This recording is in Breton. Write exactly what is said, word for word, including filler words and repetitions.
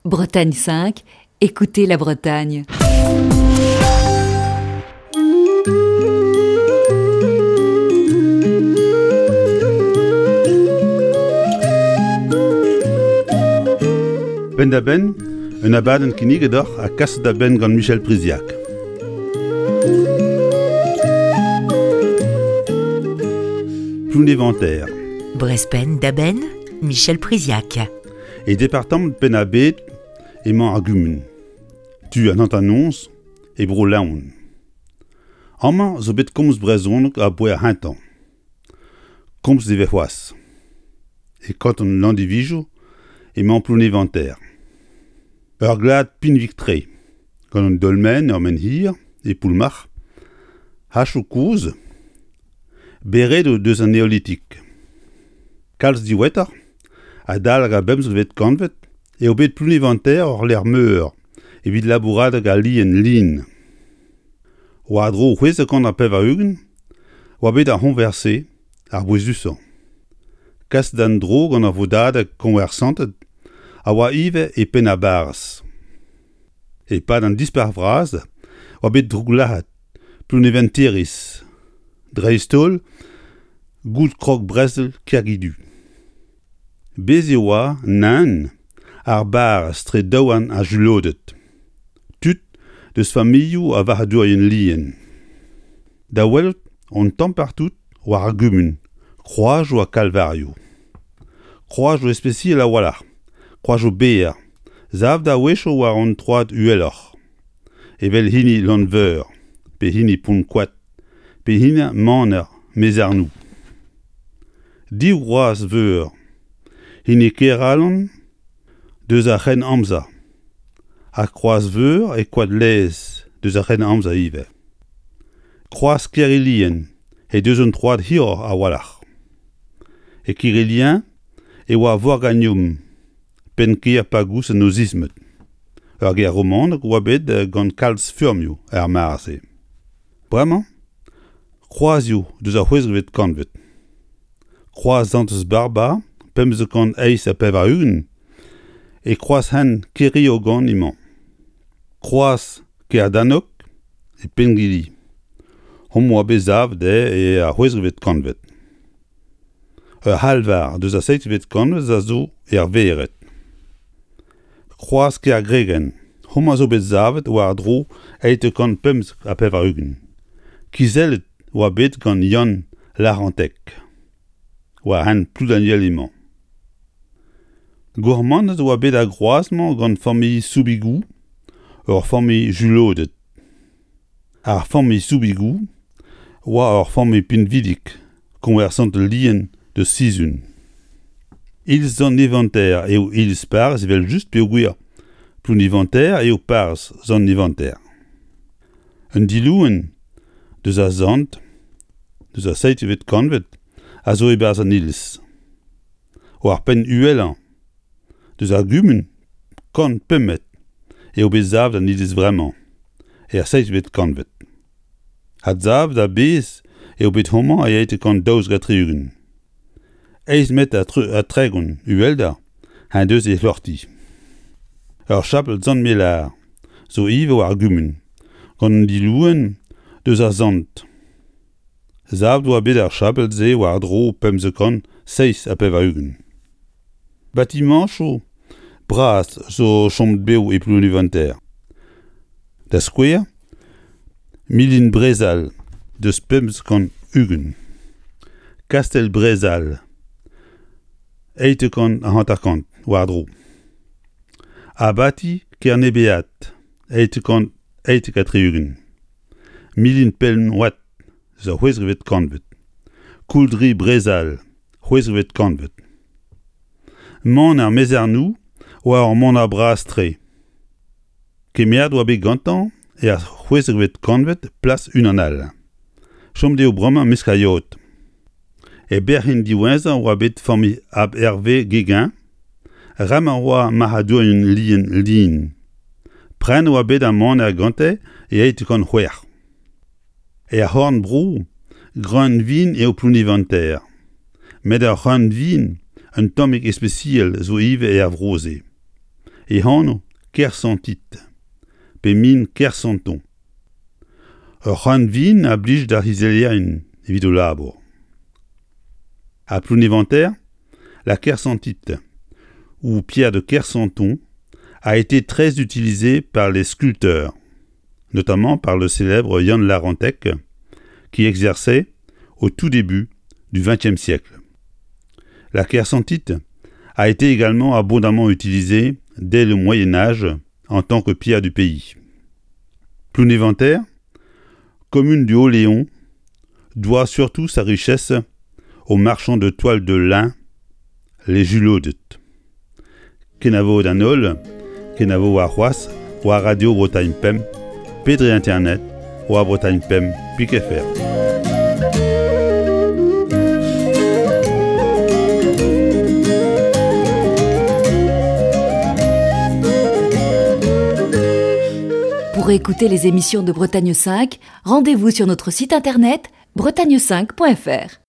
Bretagne cinq, écoutez la Bretagne. Penn-da-benn, un abadenn kinniget deoc'h ha kaset da benn gant Michel Priziac. Plounéventer. Brest Penn-da-Benn, Michel Priziac. E departamant Penn-ar-Bed emañ ar gumun. Tu an hanternoz e Bro-Leon. Amañ zo bet komz brezhoneg aboae ar c'hentañ. Komz e vez c'hoazh. E kanton Landivizio emañ Plounéventer. Ur glad pinvik-tre, gant un dolmen ur menhir e Poulmarc'h, hachoù kozh, beredoù deus an neolitik. Kalz diwezhatoc'h, adalek ar bemzekvet kantved, eo bet Plounéventer ur lec'h meur evit labouradeg al lien lin. War-dro c'hwezek kant ha pevar-ugent oa bet ar c'hoñvers-se ar bouezusañ. Kas d'an dro gant ar vodadeg koñversanted a oa ivez e penn ar barrez. E-pad an Dispac'h vras oa bet drouglazhet Plounéventeriz, dreist-holl goud krog brezel Kergidu. Bez' e oa nann ar barrez tre daouarn ar juloded, tud deus familhoù a varc'hadourien lien. Da welout on tamm partout war ar gumun, kroazioù ha kalvarioù. Kroazioù ispisial a-walc'h, kroazioù berr, savet a-wechoù war an troad uheloc'h, evel hini Lanveur, pe hini Pont-Koad, pe hini Maner Mezarnoù. Div groaz veur, hini Keralon deus ar C'hrennamzer, ha kroaz veur e Koad-Laez deus ar C'hrennamzer ivez. Kroaz Kerilien he deus un troad hiroc'h a-walc'h. E Kerilien e oa Vorganium, penn-kêr Pagous an Osismed. Ur gêr romanek oa bet gant kalz furmioù er mare-se. Bremañ, kroazioù deus ar c'hwezekvet kantved. Kroaz Santez Barba, pemzek kant eizh ha pevar-ugent, e kroaz-hent Keriogan emañ. Kroaz Kerdanok e Pengili. Homañ oa bet savet e ar c'hwezekvet kantved. Ur c'halvar deus ar seizhvet kantved a zo er vered. Kroaz Kergregen, homañ zo bet savet war-dro eizh kant pemzek ha pevar-ugent. Kizellet oa bet gant Yann Larantec. War hent Ploudaniel emañ. Gourmannet oa bet ar groaz-mañ gant familh Soubigou, ur familh juloded. Ar familh Soubigou oa ur familh pinvidik, koñversant lien deus Sizun. Iliz Sant-Neventer eo iliz parrez evel-just peogwir Plounéventer eo parrez Sant-Neventer. Un dilouenn deus ar sant, deus ar seizhvet kantved, a zo e-barzh an iliz. War penn uhelañ deus ar gumun, kant pemp metr, eo bet savet an iliz vremañ, er seizhvet kantved. Adsavet a-bezh eo bet homañ e eizh kant daouzek ha tri-ugent. Eizh metr ha tregont uhelder en deus e c'hloc'hti. Ur chapel Sant-Melar zo ivez war ar gumun, gant un dilouenn deus ar sant. Savet oa bet ar chapel-se war-dro pemzek kant seizh ha pevar-ugent. Batimañchoù bras zo chomet bev e Plounéventer. Da skouer, Milin Brezal deus pemzek kant ugent. Kastell Brezal, eizh kant hanter-kant war-dro. Abati Kernebead, eizh kant eizh ha tri-ugent. Milin Penhoat, zo c'hwezekvet kantved. Kouldri Brezal, c'hwezekvet kantved. Maner Mezarnoù oa ur maner bras-tre. Kemeret oa bet gantañ er c'hwezekvet kantved plas unan all. Chomet eo bremañ mesk ar yod. E berc'henn diwezhañ oa bet familh Abhervé Guéguen, remañ oa marc'hadourien lien lin. Prenet oa bet ar maner gante e eizh kant c'hwec'h. Er c'horn-bro, greun-vin eo Plounéventer. Met ar c'hreun-vin un tammig ispisial zo ivez er vro-se. E anv kersantite, pe min kersanton. Ur c'hrann-vin a blij d'ar c'hizellerien evit o labour. À Plounéventer, la kersantite, ou pierre de Kersanton, a été très utilisée par les sculpteurs, notamment par le célèbre Yann Larentec, qui exerçait au tout début du XXe siècle. La kersantite a été également abondamment utilisée dès le Moyen Âge en tant que pierre du pays. Plounéventer, commune du Haut-Léon, doit surtout sa richesse aux marchands de toile de lin, les Juloded. Kenavo d'an holl, kenavo warc'hoazh, war Radio Bretagne Pemp, pe dre internet, war Bretagne Pemp, pik F R. Pour écouter les émissions de Bretagne cinq, rendez-vous sur notre site internet bretagne cinq point F R.